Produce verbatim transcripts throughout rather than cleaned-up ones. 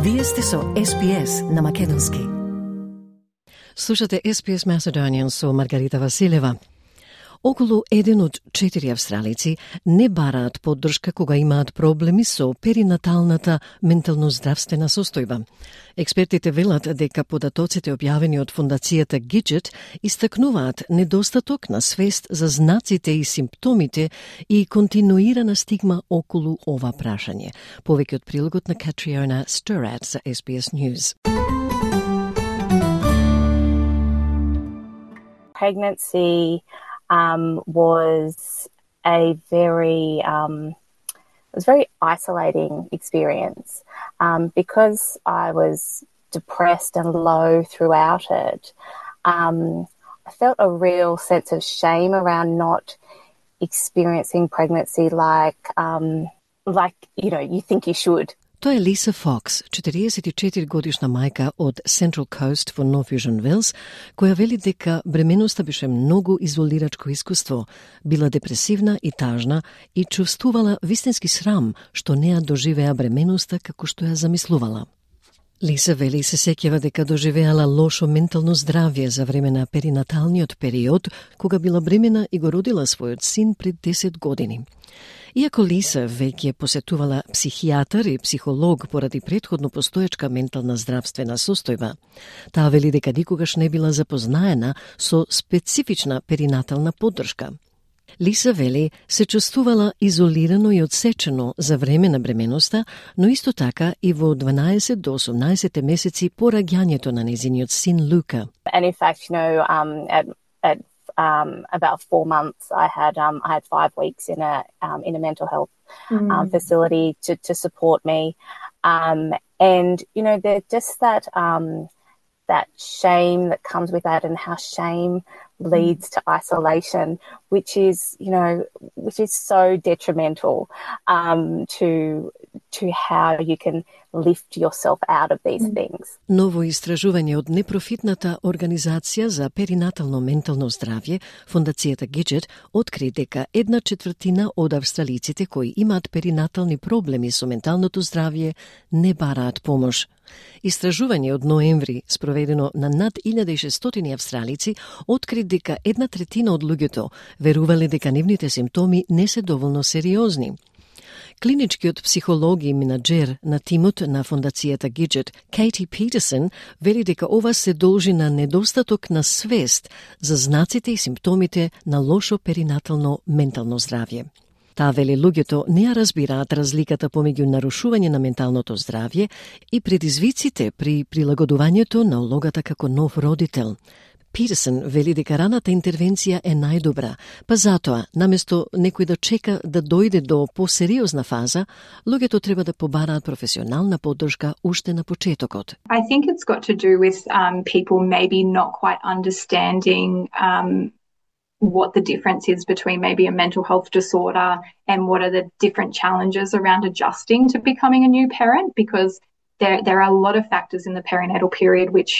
Вие сте со Ес Би Ес на македонски. Слушате Ес Би Ес Macedonian со Маргарита Василева. Околу еден од четири австралици не бараат поддршка кога имаат проблеми со перинаталната ментално-здравствена состојба. Експертите велат дека податоците објавени од фондацијата Gidget истакнуваат недостаток на свест за знаците и симптомите и континуирана стигма околу ова прашање. Повеќе од прилогот на Катриона Сторат за Ес Би Ес News. Pregnancy Um, was a very um, it was a very isolating experience um, because I was depressed and low throughout it. Um, I felt a real sense of shame around not experiencing pregnancy like um, like you know you think you should. Тоа е Лиса Фокс, четириесет и четири годишна мајка од Central Coast во North Fusion Wales, која вели дека бременоста беше многу изолирачко искуство, била депресивна и тажна и чувствувала вистински срам што не ја доживеа бременоста како што ја замислувала. Лиса вели се сеќава дека доживеала лошо ментално здравје за време на перинаталниот период, кога била бремена и го родила својот син пред десет години. Иако Лиса веќе посетувала психијатар и психолог поради претходно постоечка ментална здравствена состојба, таа вели дека никогаш не била запознаена со специфична перинатална поддршка. Лиса вели се чувствувала изолирано и одсечено за време на бременоста, но исто така и во дванаесет до осумнаесет месеци по раѓањето на незиниот син Лука. And in fact, you know, um, at, at um, about four months, I had um, I had five weeks in a um, in a mental health mm. um, facility to to support me, um, and you know, there's just that um, that shame that comes with that, and how shame leads to isolation, which is, you know, which is so detrimental um, to to how you can lift yourself out of these things. Ново истражување од непрофитната организација за перинатално ментално здравје, фондацијата Gidget, откри дека една четвртина од австралиците кои имаат перинатални проблеми со менталното здравје не бараат помош. Истражување од ноември, спроведено на над илјада и шестстотини австралици, откри дека една третина од луѓето верувале дека нивните симптоми не се доволно сериозни. Клиничкиот психолог и менаџер на тимот на фондацијата Gidget, Katie Peterson, вели дека ова се должи на недостаток на свест за знаците и симптомите на лошо перинатално ментално здравје. Таа вели луѓето не ја разбираат разликата помеѓу нарушување на менталното здравје и предизвиците при прилагодувањето на улогата како нов родител. Питерсон вели дека раната интервенција е најдобра, па затоа, наместо некој да чека да дојде до посериозна фаза, луѓето треба да побараат професионална поддршка уште на почетокот. I think it's got to do with um, people maybe not quite understanding um, what the difference is between maybe a mental health disorder and what are the different challenges around adjusting to becoming a new parent, because There, there are a lot of factors in the perinatal period which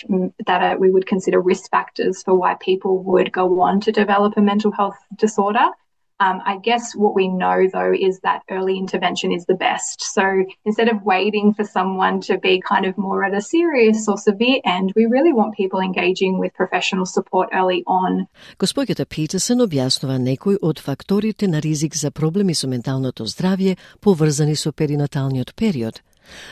that are, we would consider risk factors for why people would go on to develop a mental health disorder. Um, I guess what we know, though, is that early intervention is the best. So instead of waiting for someone to be kind of more at a serious or severe end, we really want people engaging with professional support early on. Госпоѓата Питерсон објаснува некои од факторите на ризик за проблеми со менталното здравје поврзани со перинаталниот период.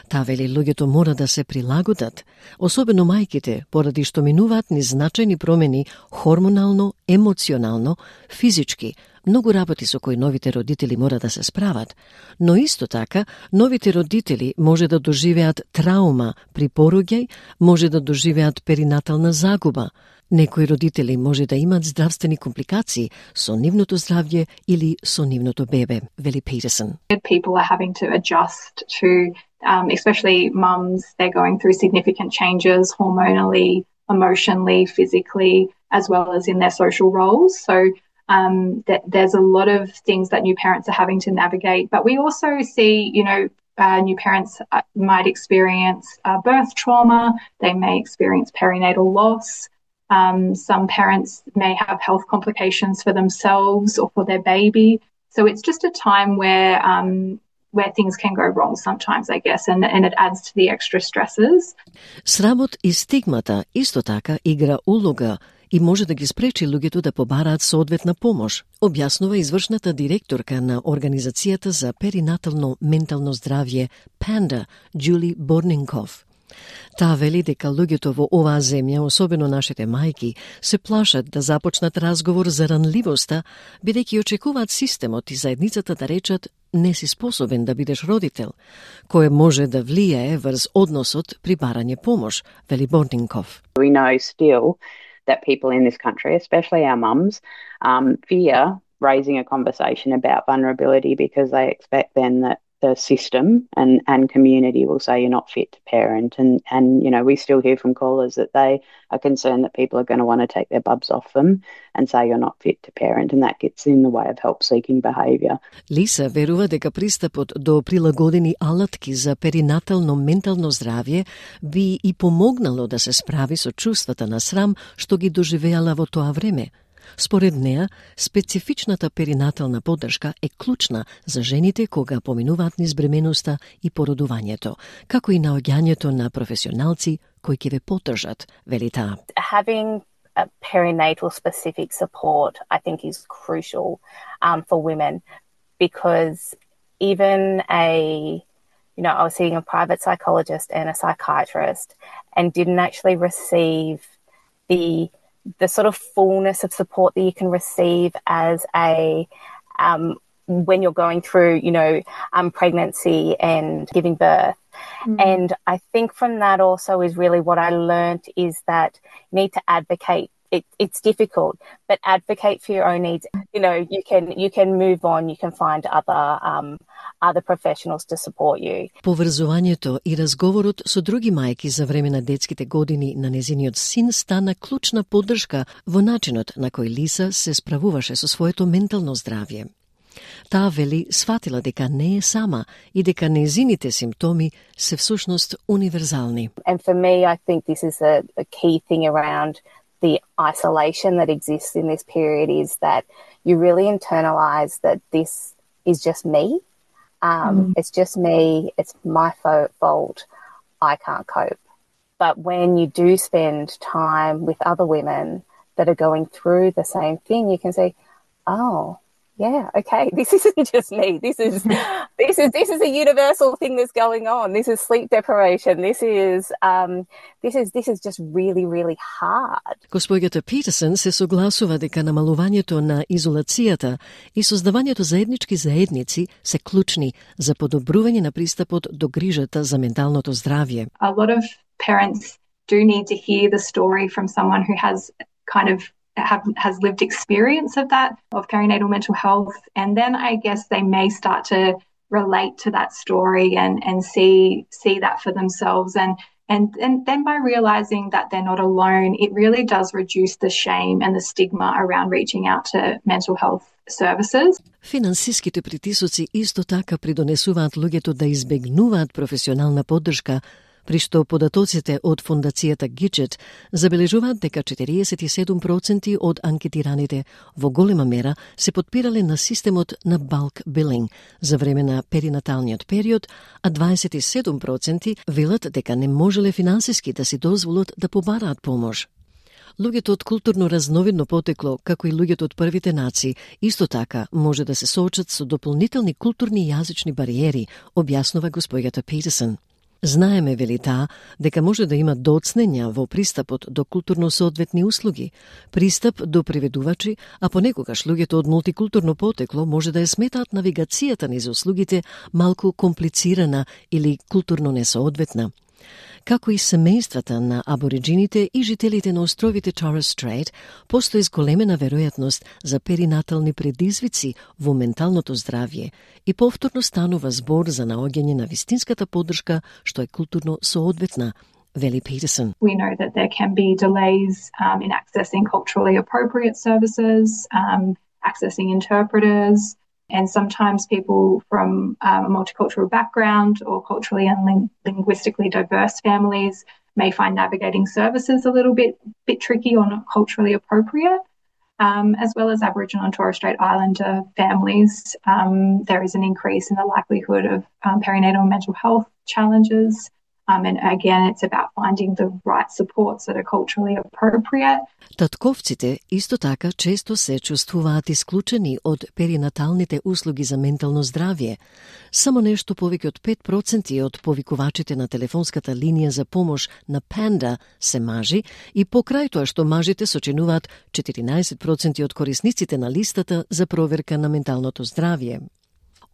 Таа вели луѓето мора да се прилагодат, особено мајките, поради што минуваат низ значајни промени хормонално, емоционално, физички, многу работи со кои новите родители мора да се справат, но исто така новите родители може да доживеат траума при пороѓај, може да доживеат перинатална загуба. Некои родители може да имаат здравствени компликации со нивното здравје или со нивното бебе, вели Питерсон. People are having to adjust to, um, especially mums, they're going through significant changes hormonally, emotionally, physically, as well as in their social roles. So um, th- there's a lot of things that new parents are having to navigate. But we also see, you know, uh, new parents uh, might experience uh, birth trauma. They may experience perinatal loss. Um, some parents may have health complications for themselves or for their baby. So it's just a time where um, where things can go wrong sometimes, I guess, and, and it adds to the extra stresses. Срамот и стигмата исто така игра улога и може да ги спречи луѓето да побараат соодветна помош, објаснува извршната директорка на Организацијата за перинатално ментално здравје Panda, Julie Borninkoff. Таа вели дека луѓето во оваа земја, особено нашите мајки, се плашат да започнат разговор за ранливоста, бидејќи очекуваат системот и заедницата да речат не си способен да бидеш родител, кое може да влијае врз односот при барање помош, вели Борнинков. We know still that people in this country, especially our mums, um, fear raising a conversation about vulnerability because they expect then that the system and, and community will say you're not fit to parent. And, and, you know, we still hear from callers that they are concerned that people are going to want to take their bubs off them and say you're not fit to parent, and that gets in the way of help-seeking behaviour. Лиса верува дека пристапот до прилагодени алатки за перинатално ментално здравје би и помогнало да се справи со чувствата на срам што ги доживеала во тоа време. Според неа, специфичната перинатална поддршка е клучна за жените кога поминуваат низ бременоста и породувањето, како и наоѓањето на професионалци кои ќе ве поддржат, вели таа. Having a perinatal specific support, I think, is crucial um, for women, because even a, you know, I was seeing a private psychologist and a psychiatrist and didn't actually receive the the sort of fullness of support that you can receive as a um, when you're going through, you know, um, pregnancy and giving birth. Mm. And I think from that also is really what I learned is that you need to advocate. It, it's difficult, but advocate for your own needs. You know, you can you can move on. You can find other um, other professionals to support you. Поврзувањето и разговорот со други мајки за време на детските години на незиниот син стана клучна поддршка во начинот на кој Лиса се справуваше со своето ментално здравје. Таа вели сватила дека не е сама и дека незините симптоми се всушност универзални. And for me, I think this is a, a key thing around the isolation that exists in this period is that you really internalize that this is just me. Um, mm. It's just me. It's my fo- fault. I can't cope. But when you do spend time with other women that are going through the same thing, you can say, oh, yeah, okay, this isn't just me. This is this is this is a universal thing that's going on. This is sleep deprivation. This is um this is this is just really really hard. Госпоѓата Питерсен се согласува дека намалувањето на изолацијата и создавањето заеднички заедници се клучни за подобрување на пристапот до грижата за менталното здравје. A lot of parents do need to hear the story from someone who has kind of Have, has lived experience of that, of perinatal mental health, and then I guess they may start to relate to that story and, and see see that for themselves. And, and and then by realising that they're not alone, it really does reduce the shame and the stigma around reaching out to mental health services. Финансиските притисоци исто така придонесуваат луѓето да избегнуваат професионална поддршка, при што податоците од фондацијата Gidget забележуваат дека четириесет и седум проценти од анкетираните во голема мера се потпирале на системот на bulk billing за време на перинаталниот период, а дваесет и седум проценти велат дека не можеле финансиски да си дозволат да побараат помош. Луѓето од културно разновидно потекло, како и луѓето од првите нации, исто така може да се соочат со дополнителни културни и јазични бариери, објаснува госпоѓата Питерсен. Знаеме, вели таа, дека може да има доцнења во пристапот до културно соодветни услуги, пристап до преведувачи, а понекогаш луѓето од мултикултурно потекло може да ја сметаат навигацијата низ услугите малку комплицирана или културно несоодветна. Како и семејствата на абориджините и жителите на островите Torres Strait, постои зголемена веројатност за перинатални предизвици во менталното здравје и повторно станува збор за наоѓање на вистинската поддршка што е културно соодветна, вели Питерсен. We know that there can be delays um, in accessing culturally appropriate services, um, accessing interpreters, and sometimes people from um, a multicultural background or culturally and ling- linguistically diverse families may find navigating services a little bit bit tricky or not culturally appropriate. Um, as well as Aboriginal and Torres Strait Islander families, um, there is an increase in the likelihood of um, perinatal mental health challenges. Um, and again, it's about finding the right supports that are culturally appropriate. Татковците исто така често се чувствуваат исклучени од перинаталните услуги за ментално здравје. Само нешто повеќе од пет проценти од повикувачите на телефонската линија за помош на Panda се мажи и покрај тоа што мажите сочинуваат четиринаесет проценти од корисниците на листата за проверка на менталното здравје.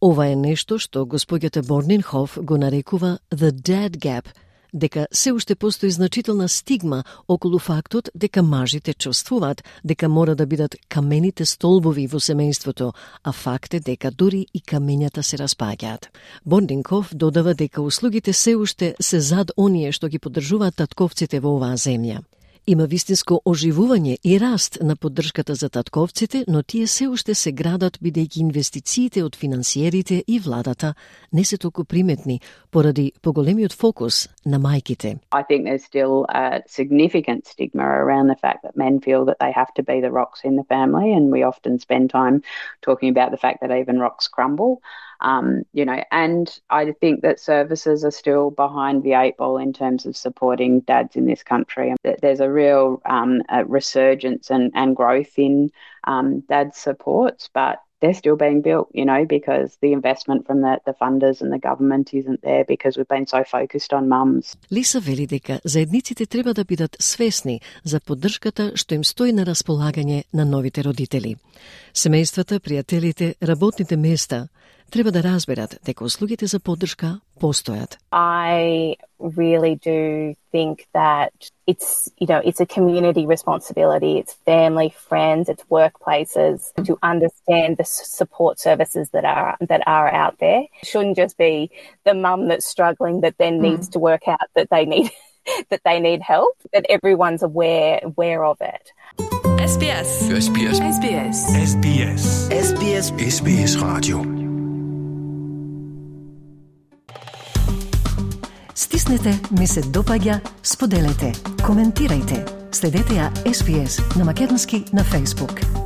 Ова е нешто што господјата Борнинхоф го нарекува the dead gap, дека се уште постои значителна стигма околу фактот дека мажите чувствуваат дека мора да бидат камените столбови во семејството, а факт е дека дури и камењата се распаѓаат. Борнинхоф додава дека услугите се уште се зад оние што ги поддржуваат татковците во оваа земја. Има вистинско оживување и раст на поддршката за татковците, но тие се уште се градат бидејќи инвестициите од финансиерите и владата не се толку приметни поради поголемиот фокус на мајките. I think there's still a significant stigma around the fact that men feel that they have to be the rocks in the family, and we often spend time talking about the fact that even rocks crumble. Um, you know, and I think that services are still behind the eight ball in terms of supporting dads in this country. There's a real um, a resurgence and, and growth in um, dad supports, but they're still being built, you know, because the investment from the, the funders and the government isn't there because we've been so focused on mums. Лиса вели дека заедниците треба да бидат свесни за поддршката што им стои на располагање на новите родители. Семејствата, пријателите, работните места треба да разберат дека услугите за поддршка постојат. I really do think that it's, you know, it's a community responsibility. It's family, friends, it's workplaces to understand the support services that are that are out there. It shouldn't just be the mum that's struggling that then mm. needs to work out that they need that they need help. That everyone's aware aware of it. S B S. S B S. S B S. S B S. S B S. S B S Radio. Стиснете, ми се допаѓа, споделете, коментирајте. Следете ја С Б С на македонски на Facebook.